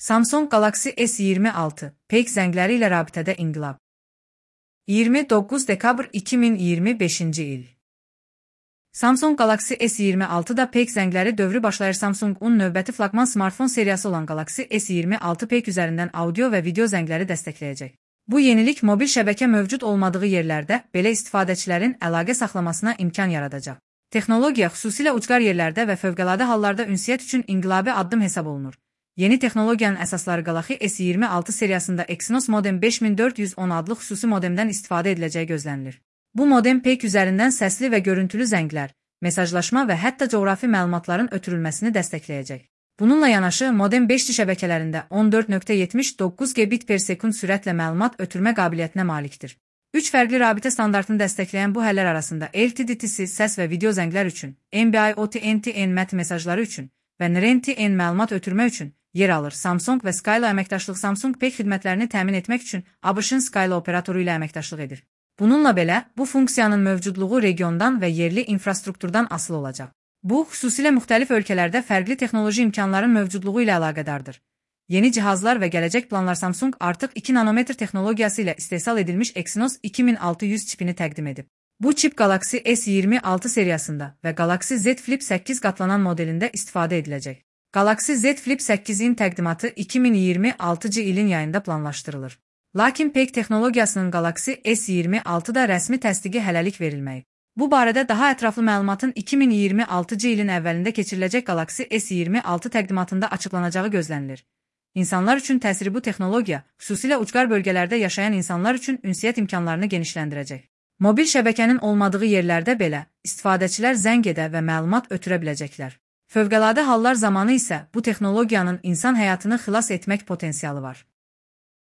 Samsung Galaxy S26 peyk zəngləri ilə rabitədə inqilab. 29 dekabr 2025-ci il. Samsung Galaxy S26-da peyk zəngləri dövrü başlayır. Samsung-un növbəti flaqman smartfon seriyası olan Galaxy S26 peyk üzərindən audio və video zəngləri dəstəkləyəcək. Bu yenilik mobil şəbəkə mövcud olmadığı yerlərdə belə istifadəçilərin əlaqə saxlamasına imkan yaradacaq. Texnologiya xüsusilə ucqar yerlərdə və fövqəladə hallarda ünsiyyət üçün inqilabi addım hesab olunur. Yeni texnologiyanın əsasları Galaxy S26 seriyasında Exynos modem 5410 adlı xüsusi modemdən istifadə ediləcəyi gözlənilir. Bu modem peyk üzərindən səsli və görüntülü zənglər, mesajlaşma və hətta coğrafi məlumatların ötürülməsini dəstəkləyəcək. Bununla yanaşı, modem 5G şəbəkələrində 14.79 Gbps sürətlə məlumat ötürmə qabiliyyətinə malikdir. 3 fərqli rabitə standartını dəstəkləyən bu həllər arasında LTE-TC səs və video zənglər üçün, NB-IoT NTN mesajları üçün və NRTN məlumat ötürmə üçün yer alır. Samsung və Skylo əməkdaşlıq Samsung peyk xidmətlərini təmin etmək üçün ABŞ-ın Skylo operatoru ilə əməkdaşlıq edir. Bununla belə, bu funksiyanın mövcudluğu regiondan və yerli infrastrukturdan asılı olacaq. Bu, xüsusilə müxtəlif ölkələrdə fərqli texnoloji imkanların mövcudluğu ilə əlaqədardır. Yeni cihazlar və gələcək planlar Samsung artıq 2 nanometr texnologiyası ilə istehsal edilmiş Exynos 2600 çipini təqdim edib. Bu çip Galaxy S26 seriyasında və Galaxy Z Flip 8 qatlanan modelində istifadə ediləcək. Galaxy Z Flip 8-in təqdimatı 2026-cı ilin yayında planlaşdırılır. Lakin peyk texnologiyasının Galaxy S26-da rəsmi təsdiqi hələlik verilməyib. Bu barədə daha ətraflı məlumatın 2026-cı ilin əvvəlində keçiriləcək Galaxy S26 təqdimatında açıqlanacağı gözlənilir. İnsanlar üçün təsiri bu texnologiya, xüsusilə ucqar bölgələrdə yaşayan insanlar üçün ünsiyyət imkanlarını genişləndirəcək. Mobil şəbəkənin olmadığı yerlərdə belə istifadəçilər zəng edə və məlumat ötürə biləcəklər. Fövqəladə hallar zamanı isə bu texnologiyanın insan həyatını xilas etmək potensialı var.